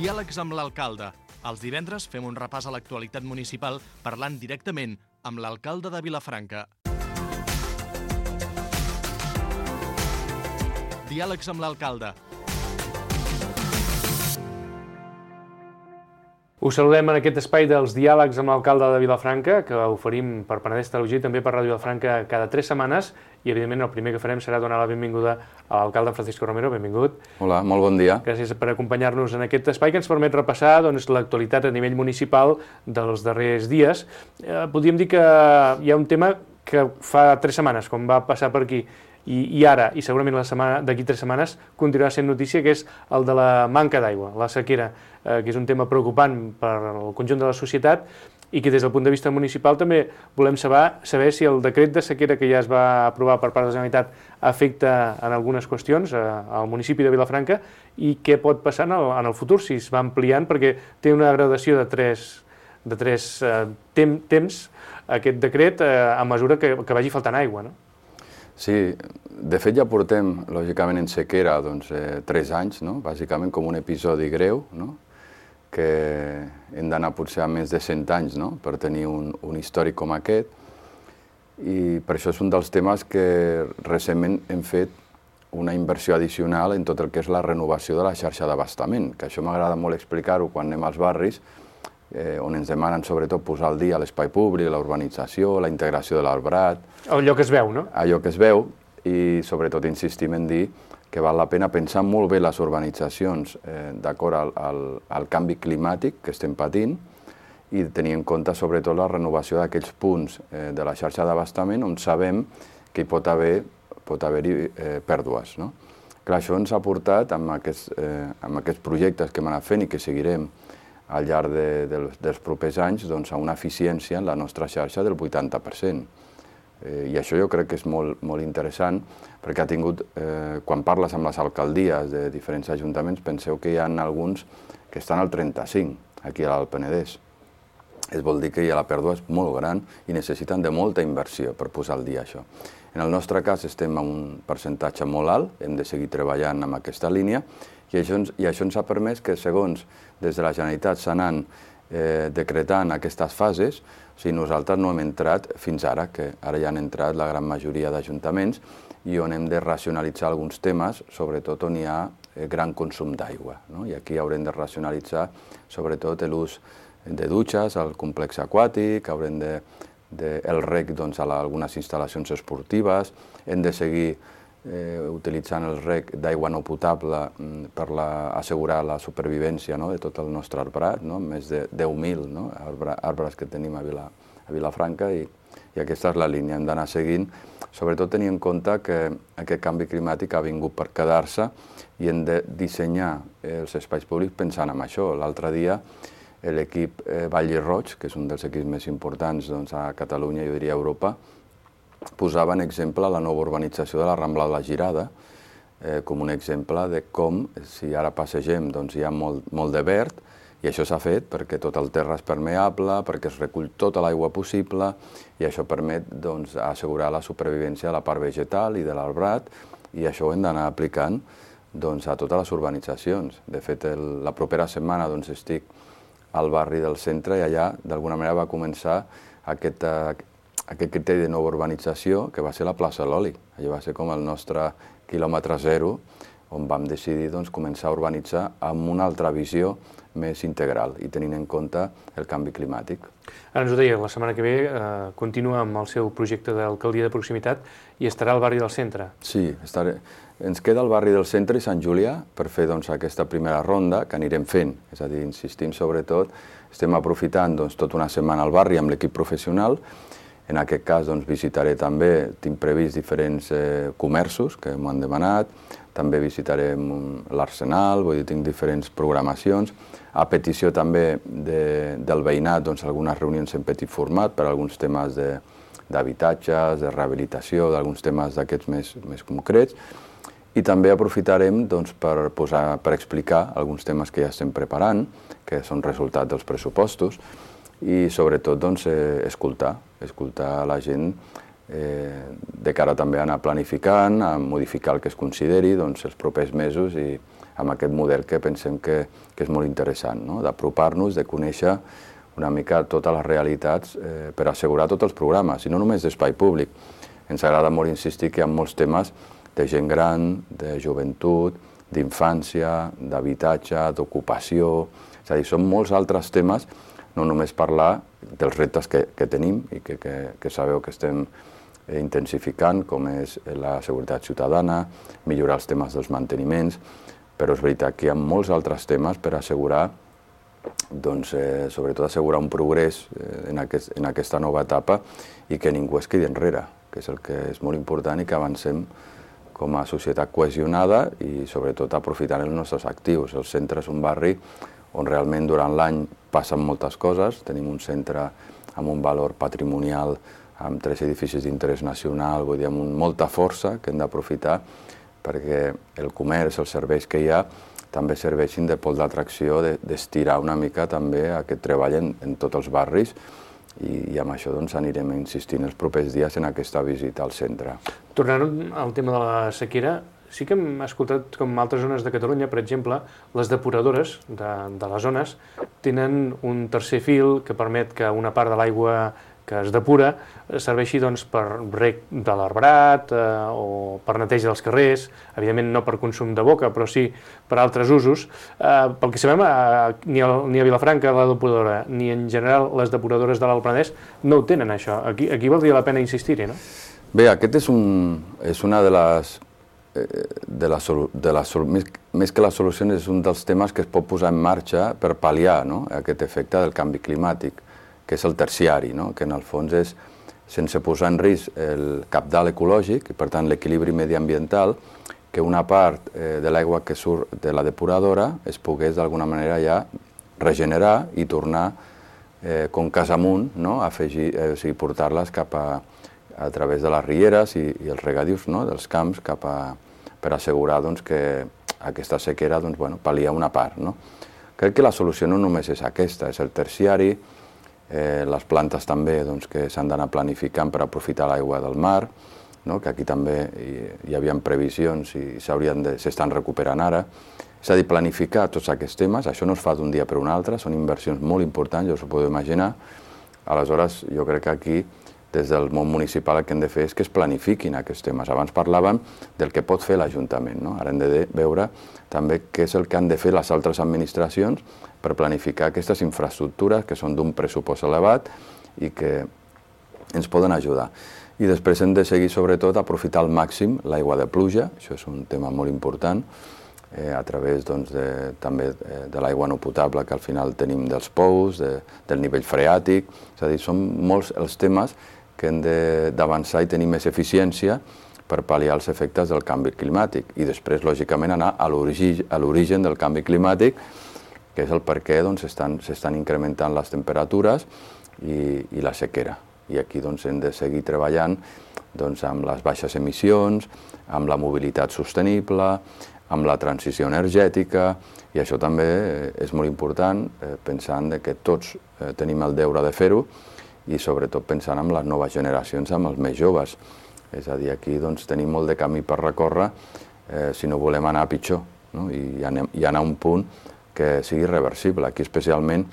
Diàlegs amb l'alcalde. Els divendres fem un repàs a l'actualitat municipal parlant directament amb l'alcalde de Vilafranca. Diàlegs amb l'alcalde. Us saludem en aquest espai dels diàlegs amb l'alcalde de Vilafranca, que oferim per Penedès Televisió i també per Ràdio Vilafranca cada 3 setmanes, i evidentment el primer que farem serà donar la benvinguda a l'alcalde Francisco Romero. Benvingut. Hola, molt bon dia. Gràcies per acompanyar-nos en aquest espai que ens permet repassar l'actualitat a nivell municipal dels darrers dies. Podríem dir que hi ha un tema que fa 3 setmanes, com va passar per aquí, i ara, i segurament d'aquí 3 setmanes, continuarà sent notícia, que és el de la manca d'aigua, la sequera, que és un tema preocupant per al conjunt de la societat i que des del punt de vista municipal també volem saber si el decret de sequera que ja es va aprovar per part de la Generalitat afecta en algunes qüestions al municipi de Vilafranca i què pot passar en el futur, si es va ampliant, perquè té una gradació de tres temps aquest decret a mesura que vagi faltant aigua, no? Sí, de fet ja portem, lògicament, en sequera 3 anys, bàsicament com un episodi greu, que hem d'anar potser a més de 100 anys per tenir un històric com aquest, i per això és un dels temes que recentment hem fet una inversió addicional en tot el que és la renovació de la xarxa d'abastament, que això m'agrada molt explicar-ho quan anem als barris, on ens demanen sobretot posar al dia l'espai públic, la urbanització, la integració de l'arbrat. Allò que es veu, no? Allò que es veu, i sobretot insistim en dir que val la pena pensar molt bé les urbanitzacions d'acord al canvi climàtic que estem patint i tenir en compte sobretot la renovació d'aquells punts de la xarxa d'abastament on sabem que hi pot haver-hi pèrdues. Clar, això ens ha portat amb aquests projectes que hem anat fent i que seguirem al llarg dels propers anys a una eficiència en la nostra xarxa del 80%. I això jo crec que és molt interessant, perquè ha tingut, quan parles amb les alcaldies de diferents ajuntaments, penseu que hi ha alguns que estan al 35%, aquí a l'Alt Penedès. Es vol dir que la pèrdua és molt gran i necessiten de molta inversió per posar al dia això. En el nostre cas estem a un percentatge molt alt, hem de seguir treballant amb aquesta línia, i això ens ha permès que, segons des de la Generalitat s'anen decretant aquestes fases, o sigui, nosaltres no hem entrat fins ara, que ara ja han entrat la gran majoria d'ajuntaments, i on hem de racionalitzar alguns temes, sobretot on hi ha gran consum d'aigua. I aquí haurem de racionalitzar sobretot l'ús de dutxes al complex aquàtic, haurem el rec a algunes instal·lacions esportives, hem de seguir utilitzant el rec d'aigua no potable per assegurar la supervivència de tot el nostre arbrat, més de 10.000 arbres que tenim a Vilafranca, i aquesta és la línia. Hem d'anar seguint, sobretot tenint en compte que aquest canvi climàtic ha vingut per quedar-se i hem de dissenyar els espais públics pensant en això. L'altre dia l'equip Vall i Roig, que és un dels equips més importants a Catalunya, jo diria a Europa, posava en exemple la nova urbanització de la Rambla de la Girada com un exemple de com, si ara passegem, hi ha molt de verd, i això s'ha fet perquè tot el terra és permeable, perquè es recull tota l'aigua possible, i això permet assegurar la supervivència de la part vegetal i de l'arbrat, i això ho hem d'anar aplicant a totes les urbanitzacions. De fet, la propera setmana estic al barri del centre i allà d'alguna manera va començar aquest criteri de nova urbanització, que va ser la plaça de l'Oli. Allò va ser com el nostre quilòmetre zero, on vam decidir començar a urbanitzar amb una altra visió més integral i tenint en compte el canvi climàtic. Ara ens ho deia, la setmana que ve continua amb el seu projecte d'alcaldia de proximitat i estarà al barri del centre. Sí, ens queda el barri del centre i Sant Julià per fer aquesta primera ronda que anirem fent. És a dir, insistim sobretot, estem aprofitant tota una setmana al barri amb l'equip professional. En aquest cas visitaré també, tinc previst diferents comerços que m'ho han demanat, també visitarem l'Arsenal, vull dir, tinc diferents programacions. A petició també del veïnat, algunes reunions en petit format per alguns temes d'habitatges, de rehabilitació, d'alguns temes d'aquests més concrets. I també aprofitarem per explicar alguns temes que ja estem preparant, que són resultat dels pressupostos, i sobretot escoltar la gent de cara també a anar planificant, a modificar el que es consideri els propers mesos i amb aquest model que pensem que és molt interessant, d'apropar-nos, de conèixer una mica totes les realitats per assegurar tots els programes, i no només d'espai públic. Ens agrada molt insistir que hi ha molts temes de gent gran, de joventut, d'infància, d'habitatge, d'ocupació, és a dir, són molts altres temes, no només parlar dels reptes que tenim i que sabeu que estem intensificant, com és la seguretat ciutadana, millorar els temes dels manteniments, però és veritat que hi ha molts altres temes per assegurar, sobretot assegurar un progrés en aquesta nova etapa i que ningú es quedi enrere, que és el que és molt important i que avancem com a societat cohesionada i sobretot aprofitant els nostres actius. El centre és un barri on realment durant l'any passen moltes coses. Tenim un centre amb un valor patrimonial, amb 3 edificis d'interès nacional, vull dir, amb molta força que hem d'aprofitar perquè el comerç, els serveis que hi ha, també serveixin de pol d'atracció, d'estirar una mica també aquest treball en tots els barris i amb això anirem insistint els propers dies en aquesta visita al centre. Tornant al tema de la sequera, sí que hem escoltat com altres zones de Catalunya, per exemple, les depuradores de les zones tenen un tercer fil que permet que una part de l'aigua que es depura serveixi per reg de l'arbrat o per neteja dels carrers, evidentment no per consum de boca, però sí per altres usos. Pel que sabem, ni a Vilafranca la depuradora, ni en general les depuradores de l'Alt Penedès no ho tenen, això. Aquí valdria la pena insistir-hi, no? Bé, aquest és una de les... més que les solucions, és un dels temes que es pot posar en marxa per pal·liar aquest efecte del canvi climàtic, que és el terciari, que en el fons és, sense posar en risc el cabdal ecològic i per tant l'equilibri mediambiental, que una part de l'aigua que surt de la depuradora es pogués d'alguna manera ja regenerar i tornar com cas amunt, afegir, o sigui, portar-les cap a través de les rieres i els regadius dels camps per assegurar que aquesta sequera pal·lia una part. Crec que la solució no només és aquesta, és el terciari, les plantes també que s'han d'anar planificant per aprofitar l'aigua del mar, que aquí també hi havia previsions i s'estan recuperant ara. És a dir, planificar tots aquests temes, això no es fa d'un dia per un altre, són inversions molt importants, ja us ho podeu imaginar. Aleshores, jo crec que aquí, des del món municipal, el que hem de fer és que es planifiquin aquests temes. Abans parlàvem del que pot fer l'Ajuntament, ara hem de veure també què és el que han de fer les altres administracions per planificar aquestes infraestructures que són d'un pressupost elevat i que ens poden ajudar. I després hem de seguir, sobretot, a aprofitar al màxim l'aigua de pluja, això és un tema molt important, a través també de l'aigua no potable que al final tenim dels pous, del nivell freàtic, és a dir, són molts els temes que hem d'avançar i tenir més eficiència per pal·liar els efectes del canvi climàtic i després, lògicament, anar a l'origen del canvi climàtic, que és el per què s'estan incrementant les temperatures i la sequera. I aquí hem de seguir treballant amb les baixes emissions, amb la mobilitat sostenible, amb la transició energètica, i això també és molt important, pensant que tots tenim el deure de fer-ho i sobretot pensant en les noves generacions, amb els més joves. És a dir, aquí tenim molt de camí per recórrer si no volem anar a pitjor i anar a un punt que sigui reversible. Aquí especialment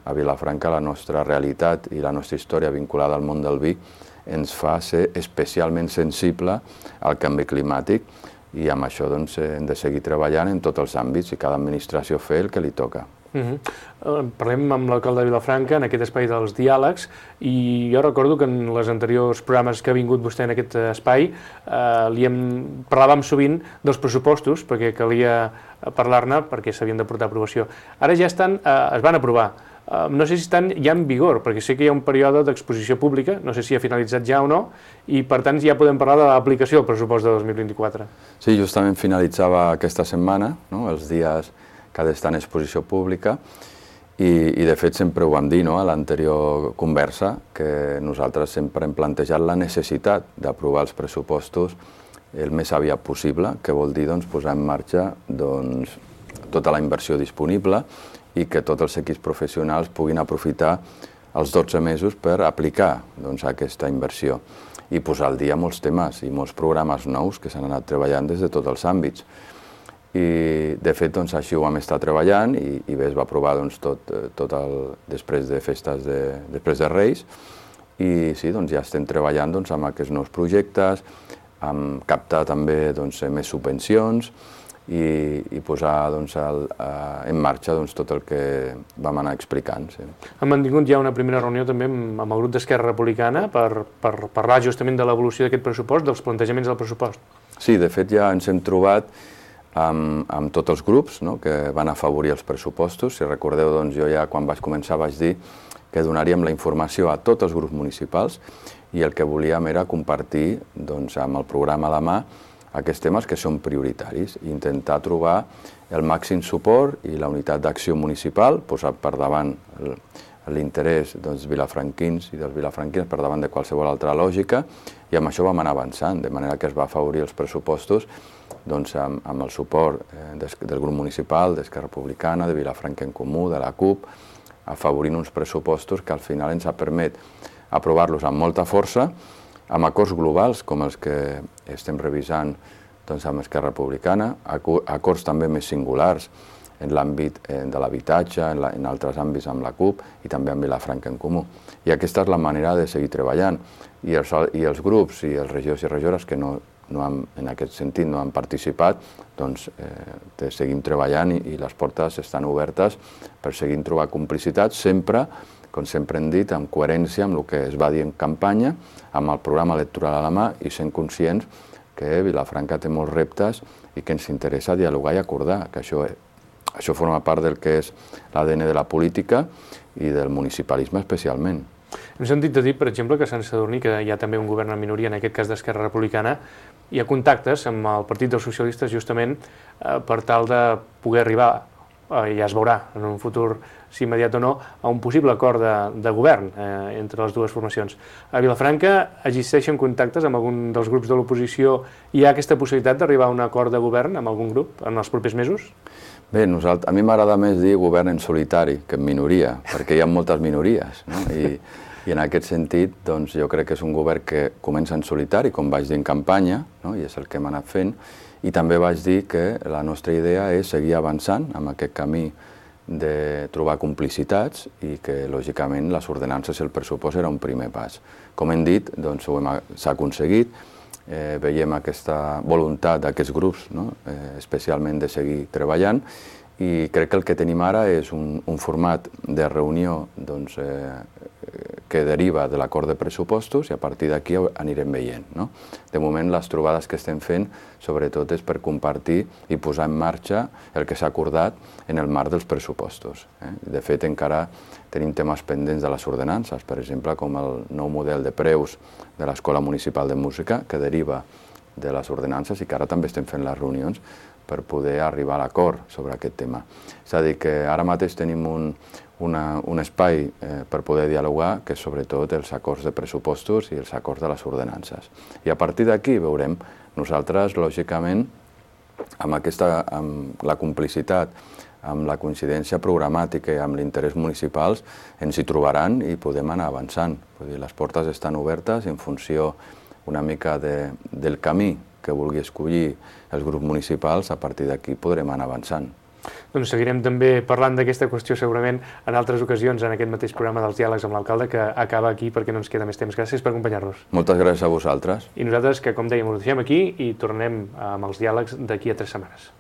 a Vilafranca la nostra realitat i la nostra història vinculada al món del vi ens fa ser especialment sensible al canvi climàtic i amb això hem de seguir treballant en tots els àmbits i cada administració fer el que li toca. Parlem amb l'alcalde de Vilafranca en aquest espai dels diàlegs i jo recordo que en els anteriors programes que ha vingut vostè en aquest espai parlàvem sovint dels pressupostos perquè calia parlar-ne perquè s'havien de portar a aprovació. Ara ja es van aprovar. No sé si estan ja en vigor, perquè sé que hi ha un període d'exposició pública, no sé si ha finalitzat ja o no, i per tant ja podem parlar de l'aplicació del pressupost de 2024. Sí, justament finalitzava aquesta setmana, els dies que ha d'estar en exposició pública, i de fet sempre ho vam dir a l'anterior conversa, que nosaltres sempre hem plantejat la necessitat d'aprovar els pressupostos el més aviat possible, que vol dir posar en marxa tota la inversió disponible i que tots els equips professionals puguin aprofitar els 12 mesos per aplicar aquesta inversió. i posar al dia molts temes i molts programes nous que s'han anat treballant des de tots els àmbits. I, de fet, doncs, així ho vam estar treballant i bé, es va aprovar doncs, després de festes, després de Reis, i sí, doncs, ja estem treballant doncs, amb aquests nous projectes, amb captar també doncs, més subvencions i posar doncs, en marxa doncs, tot el que vam anar explicant. Sí. Han mantingut ja una primera reunió també amb el grup d'Esquerra Republicana per parlar justament de l'evolució d'aquest pressupost, dels plantejaments del pressupost. Sí, de fet ja ens hem trobat amb tots els grups, no?, que van afavorir els pressupostos. Si recordeu, doncs, jo ja quan vaig començar vaig dir que donaríem la informació a tots els grups municipals i el que volíem era compartir doncs, amb el programa de mà aquests temes que són prioritaris i intentar trobar el màxim suport i la unitat d'acció municipal, posar per davant l'interès dels vilafranquins i dels vilafranquins per davant de qualsevol altra lògica, i amb això vam anar avançant, de manera que es va afavorir els pressupostos doncs, amb el suport del grup municipal, d'Esquerra Republicana, de Vilafranca en Comú, de la CUP, afavorint uns pressupostos que al final ens ha permès aprovar-los amb molta força, amb acords globals com els que estem revisant doncs, amb Esquerra Republicana, acords també més singulars en l'àmbit de l'habitatge, en altres àmbits amb la CUP i també amb Vilafranca en Comú. I aquesta és la manera de seguir treballant. I els grups i els regidors i regidores que en aquest sentit no han participat, doncs seguim treballant i les portes estan obertes per seguir trobant complicitats, sempre, com sempre hem dit, amb coherència amb el que es va dir en campanya, amb el programa electoral a la mà i sent conscients que Vilafranca té molts reptes i que ens interessa dialogar i acordar, que això forma part del que és l'ADN de la política i del municipalisme especialment. Hem sentit a dir, per exemple, que a Sant Sadurní, que hi ha també un govern en minoria, en aquest cas d'Esquerra Republicana, hi ha contactes amb el Partit dels Socialistes justament per tal de poder arribar, ja es veurà en un futur, si immediat o no, a un possible acord de govern entre les dues formacions. A Vilafranca existeixen contactes amb algun dels grups de l'oposició? Hi ha aquesta possibilitat d'arribar a un acord de govern amb algun grup en els propers mesos? Bé, a mi m'agrada més dir govern en solitari que en minoria, perquè hi ha moltes minories, no? I en aquest sentit, doncs, jo crec que és un govern que comença en solitari, com vaig dir en campanya, no? I és el que hem anat fent, i també vaig dir que la nostra idea és seguir avançant amb aquest camí de trobar complicitats i que, lògicament, les ordenances i el pressupost era un primer pas. Com hem dit, doncs, s'ha aconseguit, veiem aquesta voluntat d'aquests grups, no? Especialment de seguir treballant, i crec que el que tenim ara és un format de reunió doncs, que deriva de l'acord de pressupostos i a partir d'aquí anirem veient. No? De moment, les trobades que estem fent, sobretot, és per compartir i posar en marxa el que s'ha acordat en el marc dels pressupostos. De fet, encara tenim temes pendents de les ordenances, per exemple, com el nou model de preus de l'Escola Municipal de Música, que deriva de les ordenances i que ara també estem fent les reunions per poder arribar a l'acord sobre aquest tema. És a dir, que ara mateix tenim un espai per poder dialogar, que és sobretot els acords de pressupostos i els acords de les ordenances. I a partir d'aquí veurem, nosaltres, lògicament, amb la complicitat, amb la coincidència programàtica i amb l'interès municipals, ens hi trobaran i podem anar avançant. Vull dir, les portes estan obertes en funció una mica del camí que vulgui escollir els grups municipals, a partir d'aquí podrem anar avançant. Doncs seguirem també parlant d'aquesta qüestió segurament en altres ocasions en aquest mateix programa dels diàlegs amb l'alcalde, que acaba aquí perquè no ens queda més temps. Gràcies per acompanyar-nos. Moltes gràcies a vosaltres. I nosaltres, que com dèiem, ho deixem aquí i tornem amb els diàlegs d'aquí a 3 setmanes.